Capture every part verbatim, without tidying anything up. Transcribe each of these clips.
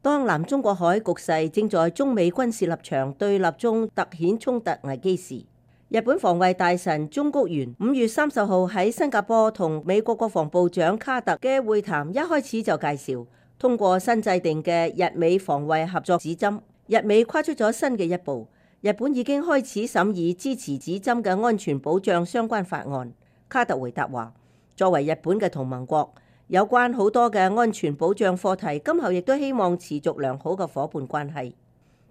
當南中國海局勢正在中美軍事立場對立中突顯衝突危機時，日本防衛大臣中谷元五月三十號喺新加坡同美國國防部長卡特嘅會談，一開始就介紹通過新制定嘅日美防衛合作指針，日美跨出咗新嘅一步。日本已經開始審議支持指針嘅安全保障相關法案。卡特回答話，作為日本嘅同盟國，有關好多嘅安全保障課題，今後亦都希望持續良好嘅夥伴關係。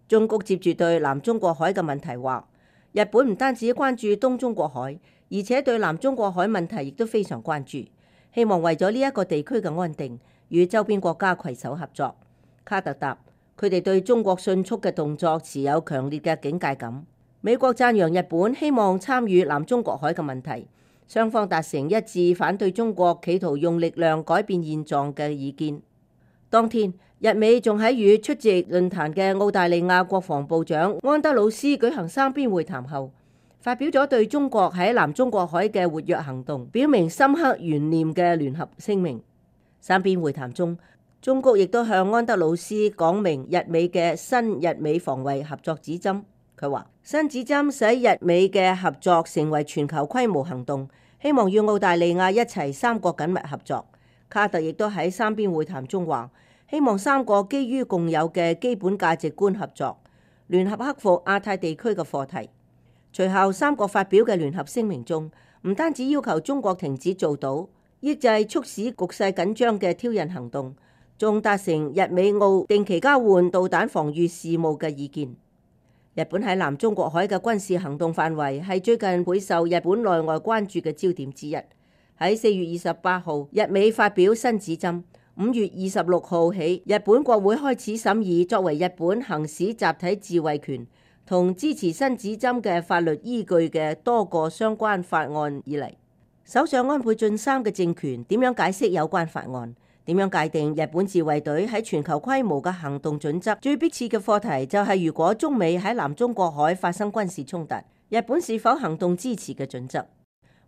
中谷接住對南中國海嘅問題話，日本唔單止關注東中國海，而且對南中國海問題亦都非常關注，希望為咗呢一個地區嘅安定，與周邊國家攜手合作。卡特答，佢哋對中國迅速嘅動作持有強烈嘅警戒感。美國讚揚日本希望參與南中國海嘅問題，雙方達成一致反對中國企圖用力量改變現狀嘅意見。當天，日美仲喺與出席論壇嘅澳大利亞國防部長安德魯斯舉行三邊會談後，發表咗對中國喺南中國海嘅活躍行動表明深刻懸念嘅聯合聲明。三邊會談中，中國亦都向安德魯斯講明日美嘅新日美防衛合作指針。佢話新指針使日美嘅合作成為全球規模行動，希望與澳大利亞一齊三國緊密合作。卡特亦都喺三邊會談中話，希望三國基於共有嘅基本價值觀合作，聯合克服亞太地區嘅課題。隨後三國發表嘅聯合聲明中，唔單止要求中國停止做島，抑制促使局勢緊張嘅挑釁行動，仲達成日美澳定期交換導彈防禦事務嘅意見。日本喺南中國海嘅軍事行動範圍係最近備受日本內外關注嘅焦點之一。喺四月二十八號，日美發表新指針。五月二十六號起，日本國會開始審議作為日本行使集體自衛權同支持新指針嘅法律依據嘅多個相關法案以嚟。首相安倍晉三嘅政權點樣解釋有關法案？點樣界定日本自衛隊喺全球規模嘅行動準則？最迫切嘅課題就係如果中美喺南中國海發生軍事衝突，日本是否行動支持嘅準則？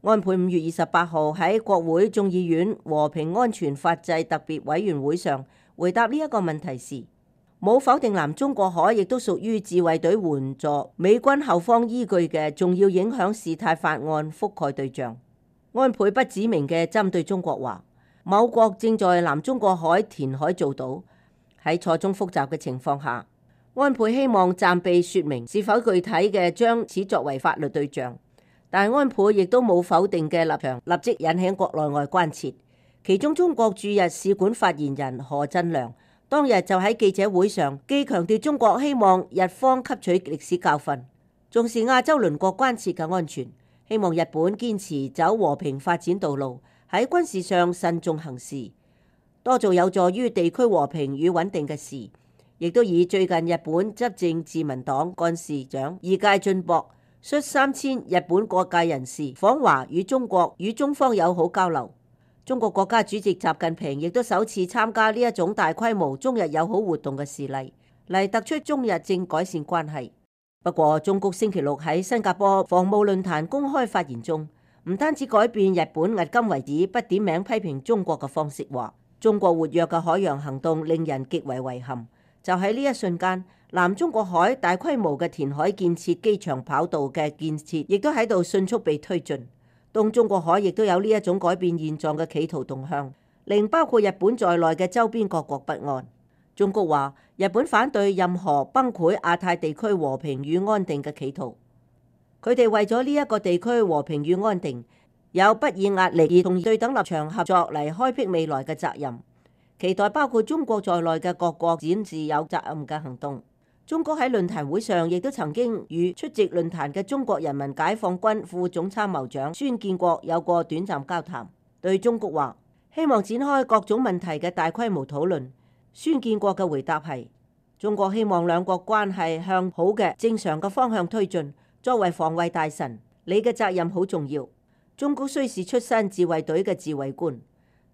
安倍五月二十八號喺國會眾議院和平安全法制特別委員會上回答呢一個問題時，冇否定南中國海亦都屬於自衛隊援助美軍後方依據嘅重要影響事態法案覆蓋對象。安倍不指明嘅針對中國話，某國正在南中國海填海造島，喺錯綜複雜嘅情況下，安倍希望暫避說明是否具體嘅將此作為法律對象。但安倍亦都冇否定嘅立場，立即引起國內外關切。其中中國駐日使館發言人何振良當日就喺記者會上，既強調中國希望日方吸取歷史教訓，重視亞洲鄰國關切嘅安全，希望日本堅持走和平發展道路，喺軍事上慎重行事，多做有助於地區和平與穩定嘅事。亦都以最近日本執政自民黨幹事長二階俊博率三千日本各界人士訪華，與中國與中方友好交流。中國國家主席習近平亦都首次參加呢一種大規模中日友好活動嘅事例，嚟突出中日正改善關係。不過，中國星期六喺新加坡防務論壇公開發言中，唔單止改變日本迄今為止不點名批評中國嘅方式，話中國活躍嘅海洋行動令人極為遺憾。就喺呢一瞬間，南中國海大規模嘅填海建設、機場跑道嘅建設，亦都喺度迅速被推進。東中國海亦都有呢一種改變現狀嘅企圖動向，令包括日本在內嘅周邊各國不安。中國話，日本反對任何崩潰亞太地區和平與安定嘅企圖。佢哋為咗呢一個地區和平與安定，有不以壓力而同對等立場合作嚟開闢未來嘅責任。期待包括中國在內嘅各國展示有責任嘅行動。中國喺論壇會上亦都曾經與出席論壇嘅中國人民解放軍副總參謀長孫建國有過短暫交談，對中國話希望展開各種問題嘅大規模討論。孫建國嘅回答係：中國希望兩國關係向好嘅正常嘅方向推進。作為防衛大臣，你嘅責任好重要。中國雖是出身自衛隊嘅自衛官，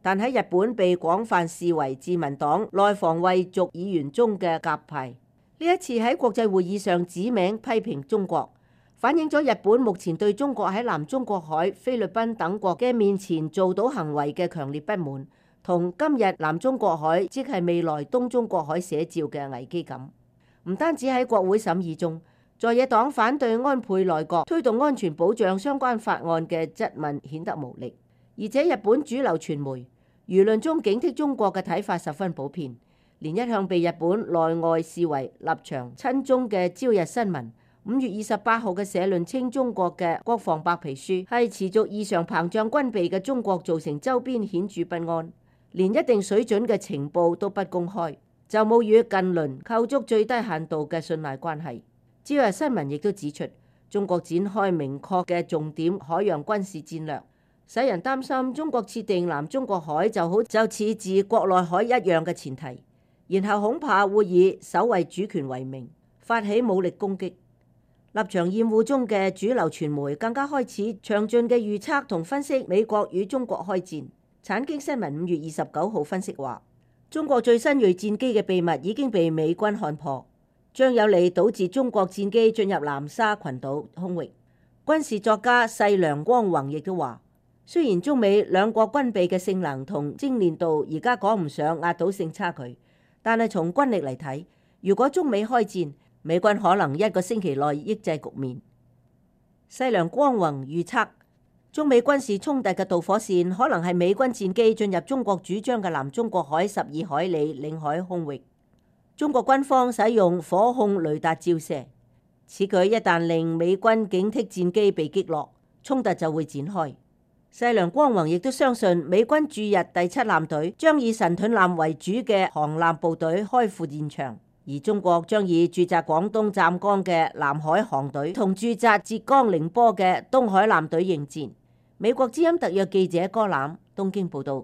但喺日本被廣泛視為自民黨內防衛族議員中嘅鴿派。呢一次喺國際會議上指名批評中國，反映咗日本目前對中國喺南中國海、菲律賓等國嘅面前做到行為嘅強烈不滿，同今日南中國海，即係未來東中國海寫照嘅危機感。唔單止喺國會審議中，在野黨反對安倍內閣推動安全保障相關法案嘅質問顯得無力，而且日本主流傳媒輿論中警惕中國嘅睇法十分普遍，連一向被日本內外視為立場親中嘅朝日新聞五月二十八號嘅社論稱，中國嘅國防白皮書係持續異常膨脹軍備嘅中國造成周邊顯著不安，連一定水準嘅情報都不公開，就冇與近鄰構築最低限度嘅信賴關係。朝日新聞亦都指出，中國展開明確嘅重點海洋軍事戰略，使人擔心中國設定南中國海就好就似自國內海一樣嘅前提，然後恐怕會以守衛主權為名發起武力攻擊。立場厭惡中嘅主流傳媒更加開始詳盡嘅預測同分析美國與中國開戰。產經新聞五月二十九號分析話，中國最新鋭戰機嘅秘密已經被美軍看破，將有利導致中國戰機進入南沙群島空域。軍事作家細良光宏亦都話，雖然中美兩國軍備嘅性能同精練度而家講唔上壓倒性差距，但係從軍力嚟睇，如果中美開戰，美軍可能一個星期內抑制局面。細良光宏預測，中美軍事衝突嘅導火線可能係美軍戰機進入中國主張嘅南中國海十二海里領海空域。中國軍方使用火控雷達照射，此舉一旦令美軍警惕戰機被擊落，衝突就會展開。細良光宏亦都相信，美軍駐日第七艦隊將以神盾艦為主嘅航艦部隊開赴現場。而中國將以駐紮廣東湛江嘅南海航隊同駐紮浙江寧波嘅東海艦隊應戰。美國之音特約記者柯欖東京報道。